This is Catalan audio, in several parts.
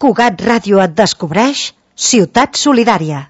Cugat Ràdio et descobreix Ciutat Solidària.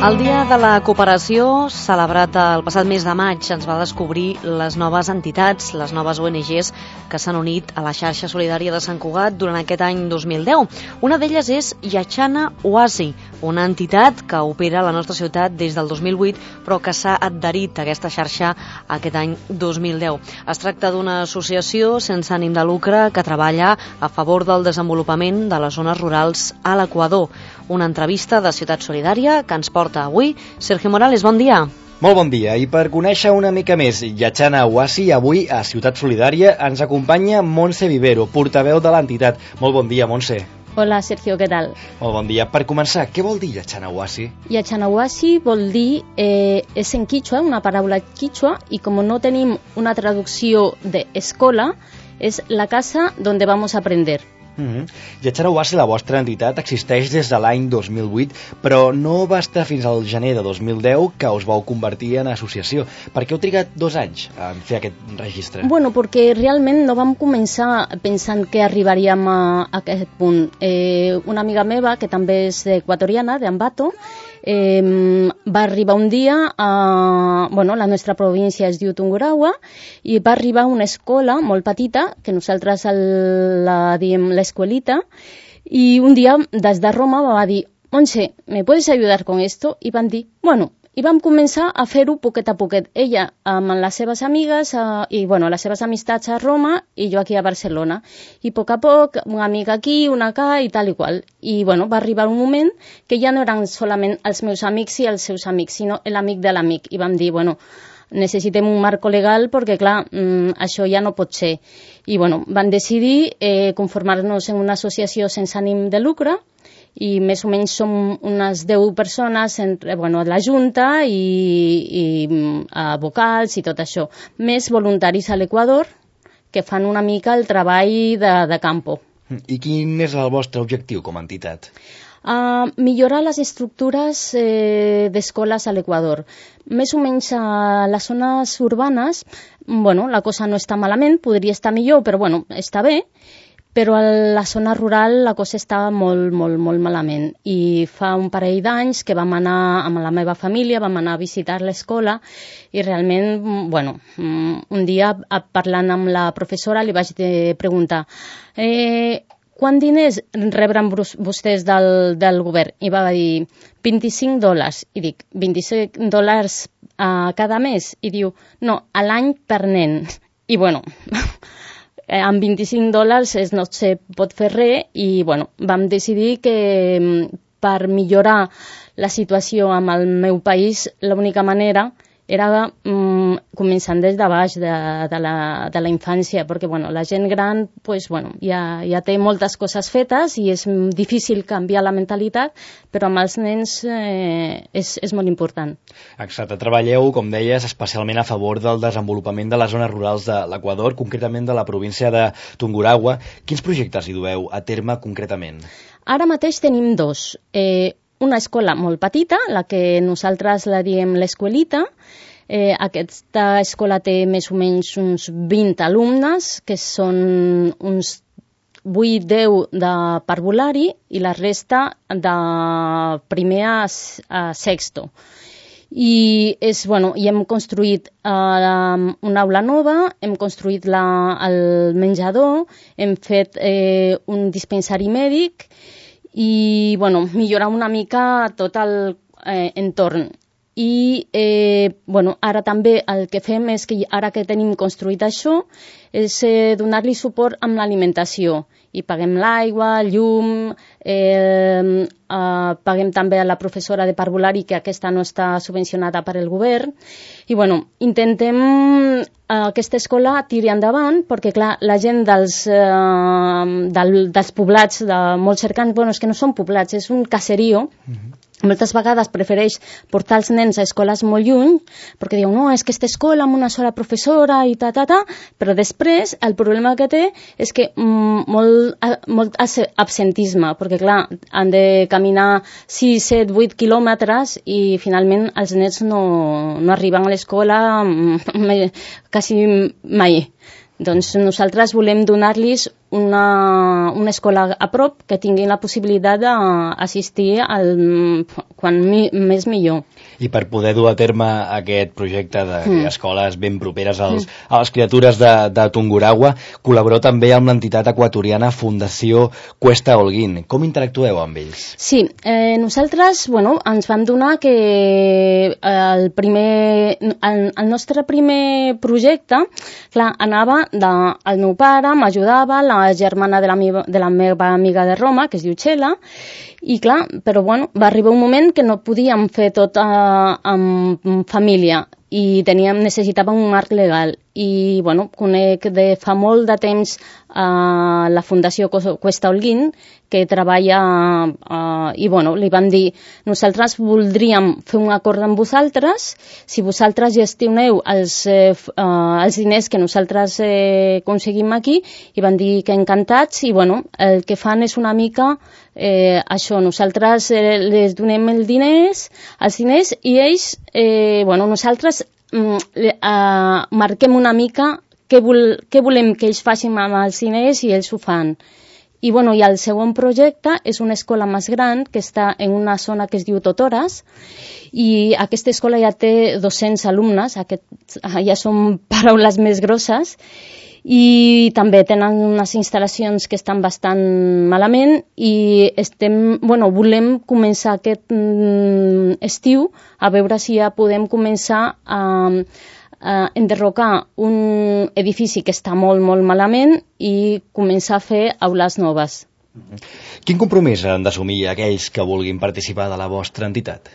El Dia de la Cooperació, celebrat el passat mes de maig, ens va descobrir les noves entitats, les noves ONGs que s'han unit a la xarxa solidària de Sant Cugat durant aquest any 2010. Una d'elles és Yachana Oasi, una entitat que opera a la nostra ciutat des del 2008, però que s'ha adherit a aquesta xarxa aquest any 2010. Es tracta d'una associació sense ànim de lucre que treballa a favor del desenvolupament de les zones rurals a l'Equador. Una entrevista de Ciutat Solidària que ens porta avui Sergio Morales. Bon dia. Molt bon dia, i per conèixer una mica més Yachana Oasi, avui a Ciutat Solidària ens acompanya Montse Vivero, portaveu de l'entitat. Molt bon dia, Montse. Hola, Sergio, què tal? Molt bon dia. Per començar, què vol dir Yachana Oasi? Yachana Oasi vol dir, és en quichua, una paraula quichua, i com no tenim una traducció d'escola, és la casa donde vamos a aprender. Yachana Oasi, la vostra entitat, existeix des de l'any 2008, però no va estar fins al gener de 2010 que us vau convertir en associació. Per què heu trigat 2 anys en fer aquest registre? Bueno, perquè realment no vam començar pensant que arribaríem a aquest punt. Una amiga meva, que també és equatoriana, d'Ambato, va arribar un dia a... la nostra província es diu Tungurahua, i va arribar a una escola molt petita, que nosaltres la diem l'escuelita, i un dia des de Roma va dir: Montse, ¿me puedes ayudar con esto? I van dir, i vam començar a fer-ho poquet a poquet. Ella amb les seves amigues i les seves amistats a Roma i jo aquí a Barcelona. I a poc, una amiga aquí, una acá i tal i qual. I va arribar un moment que ja no eren solament els meus amics i els seus amics, sinó l'amic de l'amic. I vam dir, necessitem un marco legal perquè, clar, això ja no pot ser. I van decidir conformar-nos en una associació sense ànim de lucre, i més o menys som unes 10 persones entre la Junta i vocals i tot això, més voluntaris a l'Equador que fan una mica el treball de campo. I quin és el vostre objectiu com a entitat? Millorar les estructures d'escoles a l'Equador. Més o menys a les zones urbanes, la cosa no està malament, podria estar millor, però està bé. Però a la zona rural la cosa està molt, molt, molt malament. I fa un parell d'anys que vam anar amb la meva família, vam anar a visitar l'escola i realment, un dia parlant amb la professora li vaig preguntar quants diners rebran vostès del govern? I va dir $25. I dic, $25 cada mes? I diu, no, a l'any per nen. I amb $25 no se pot fer res i vam decidir que per millorar la situació amb el meu país l'única manera era començant des de baix de la infància, perquè la gent gran ja té moltes coses fetes i és difícil canviar la mentalitat, però amb els nens és molt important. Exacte, treballeu, com deies, especialment a favor del desenvolupament de les zones rurals de l'Equador, concretament de la província de Tungurahua. Quins projectes hi dueu a terme concretament? Ara mateix tenim 2. Una escola molt petita, la que nosaltres la diem l'escuelita. Aquesta escola té més o menys uns 20 alumnes, que són uns 8-10 de parvulari i la resta de primer a sexto. I hem construït una aula nova, hem construït el menjador, hem fet un dispensari mèdic i millorar una mica tot l'entorn. I ara també el que fem és que ara que tenim construït això és donar-li suport amb l'alimentació i paguem l'aigua, el llum, paguem també a la professora de parvulari, que aquesta no està subvencionada per el govern, i intentem aquesta escola tiri endavant perquè, clar, la gent dels poblats, de molt cercans, és que no són poblats, és un caserío, moltes vegades prefereix portar els nens a escoles molt lluny, perquè diu, no, és que aquesta escola amb una sola professora i però després el problema que té és que molt absentisme, perquè clar, han de caminar 6, 7, 8 quilòmetres i finalment els nens no arriben a l'escola quasi mai. Doncs nosaltres volem donar-los una escola a prop que tinguin la possibilitat d'assistir quan més millor. I per poder dur a terme aquest projecte de crear escoles ben properes a les criatures de Tungurahua, col·laboreu també amb l'entitat equatoriana Fundació Cuesta Holguín. Com interactueu amb ells? Sí, nosaltres ens vam donar que el nostre primer projecte, clar, anava el meu pare, m'ajudava, la germana de la meva amiga de Roma, que es diu Txela, i clar, però va arribar un moment que no podíem fer tot amb família i necessitàvem un marc legal. I conec de fa molt de temps la Fundació Cuesta Holguín, que treballa i li vam dir, nosaltres voldríem fer un acord amb vosaltres, si vosaltres gestioneu els diners que nosaltres aconseguim aquí, i van dir que encantats, i el que fan és una mica això, nosaltres les donem els diners i ells, nosaltres marquem una mica què volem que ells facin amb els diners i ells ho fan. I el segon projecte és una escola més gran que està en una zona que es diu Totores, i aquesta escola ja té 200 alumnes, ja són paraules més grosses, i també tenen unes instal·lacions que estan bastant malament i volem començar aquest estiu a veure si ja podem començar a enderrocar un edifici que està molt, molt malament i començar a fer aules noves. Quin compromís han d'assumir aquells que vulguin participar de la vostra entitat?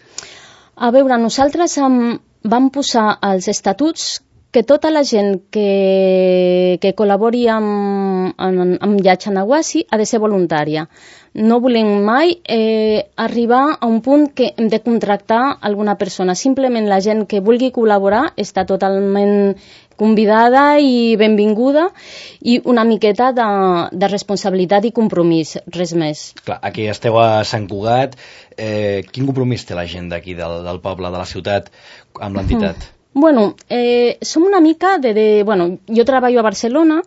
A veure, nosaltres vam posar als estatuts que tota la gent que col·labori amb Yachanawasi ha de ser voluntària. No volem mai arribar a un punt que hem de contractar alguna persona. Simplement la gent que vulgui col·laborar està totalment convidada i benvinguda, i una miqueta de responsabilitat i compromís, res més. Clar, aquí esteu a Sant Cugat. Quin compromís té la gent d'aquí, del poble, de la ciutat, amb l'entitat? Som una mica jo treballo a Barcelona,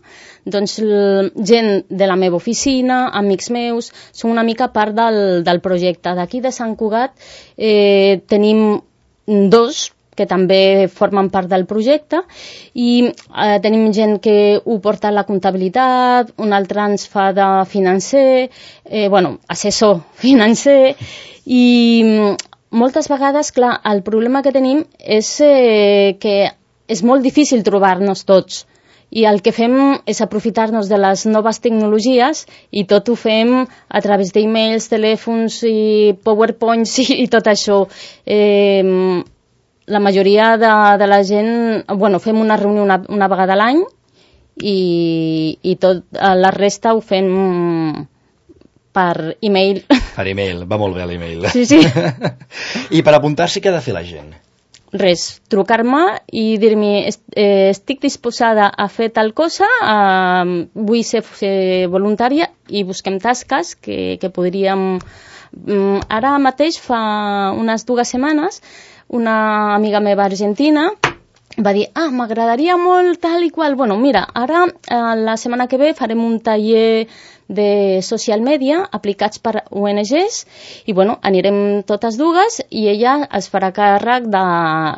doncs gent de la meva oficina, amics meus, som una mica part del projecte. D'aquí de Sant Cugat tenim 2 que també formen part del projecte, i tenim gent que ho porta a la comptabilitat, un altre ens fa de financer, assessor financer, i moltes vegades, clar, el problema que tenim és que és molt difícil trobar-nos tots, i el que fem és aprofitar-nos de les noves tecnologies i tot ho fem a través d'emails, telèfons i PowerPoints i tot això. La majoria de la gent, fem una reunió una vegada a l'any i tot la resta ho fem per e-mail. Per e-mail, va molt bé l'e-mail. Sí. I per apuntar-s'hi, què ha de fer la gent? Res, trucar-me i dir-me estic disposada a fer tal cosa, vull ser voluntària, i busquem tasques que podríem... Ara mateix, fa unes 2 setmanes, una amiga meva argentina va dir, m'agradaria molt tal i qual. Mira, ara la setmana que ve farem un taller de social media aplicats per ONGs i anirem totes 2 i ella es farà càrrec de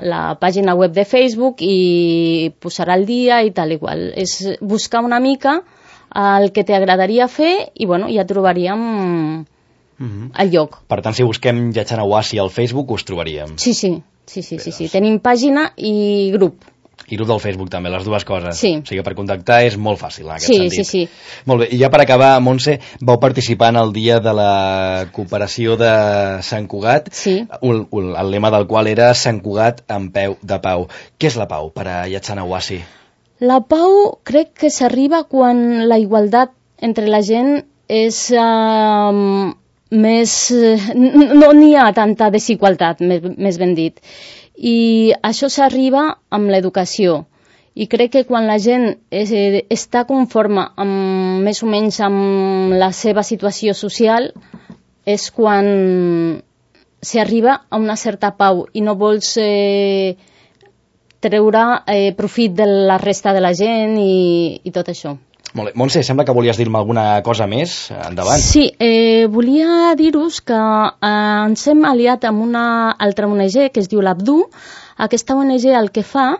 la pàgina web de Facebook i posarà al dia i tal i qual. És buscar una mica el que t'agradaria fer i ja trobaríem el lloc. Per tant, si busquem Yachanawasi al Facebook us trobaríem. Sí. Tenim pàgina i grup. I grup del Facebook també, les 2 coses. Sí. O sigui, per contactar és molt fàcil, en aquest sentit. Sí. Molt bé, i ja per acabar, Montse, vau participar en el dia de la cooperació de Sant Cugat, el lema del qual era Sant Cugat en peu de pau. Què és la pau per a Yachanawasi? La pau crec que s'arriba quan la igualtat entre la gent és no n'hi ha tanta desigualtat, més ben dit. I això s'arriba amb l'educació. I crec que quan la gent està conforme més o menys amb la seva situació social és quan s'arriba a una certa pau i no vols treure profit de la resta de la gent i tot això. Molt bé. Montse, sembla que volies dir-me alguna cosa més. Endavant. Sí, volia dir-vos que ens hem aliat amb una altra ONG que es diu l'Abdu. Aquesta ONG el que fa,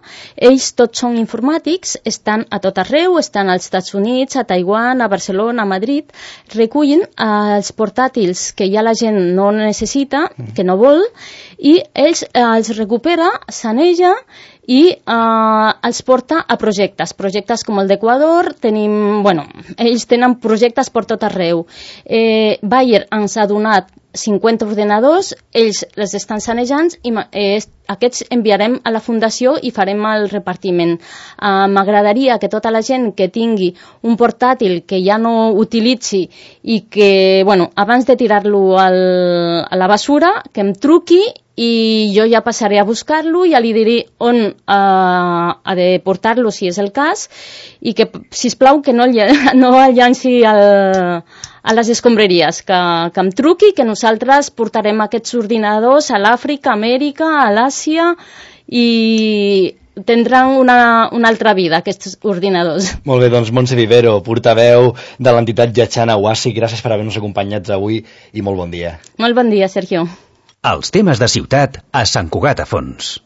ells tots són informàtics, estan a tot arreu, estan als Estats Units, a Taiwan, a Barcelona, a Madrid, recullen els portàtils que ja la gent no necessita, que no vol, i ells els recupera, saneja i els porta a projectes com el d'Equador. Ells tenen projectes per tot arreu. Bayer ens ha donat 50 ordenadors, ells les estan sanejant i aquests enviarem a la fundació i farem el repartiment. M'agradaria que tota la gent que tingui un portàtil que ja no utilitzi i que, abans de tirar-lo a la basura, que em truqui i jo ja passaré a buscar-lo, ja li diré on ha de portar-lo si és el cas i que, sisplau, que no el llanci a les escombraries, que em truqui, que nosaltres portarem aquests ordinadors a l'Àfrica, a Amèrica, a l'Àsia i tindran una altra vida, aquests ordinadors. Molt bé, doncs Montse Vivero, portaveu de l'entitat Yachana Oasi, gràcies per haver-nos acompanyats avui i molt bon dia. Molt bon dia, Sergio. Els temes de ciutat a Sant Cugat a Fons.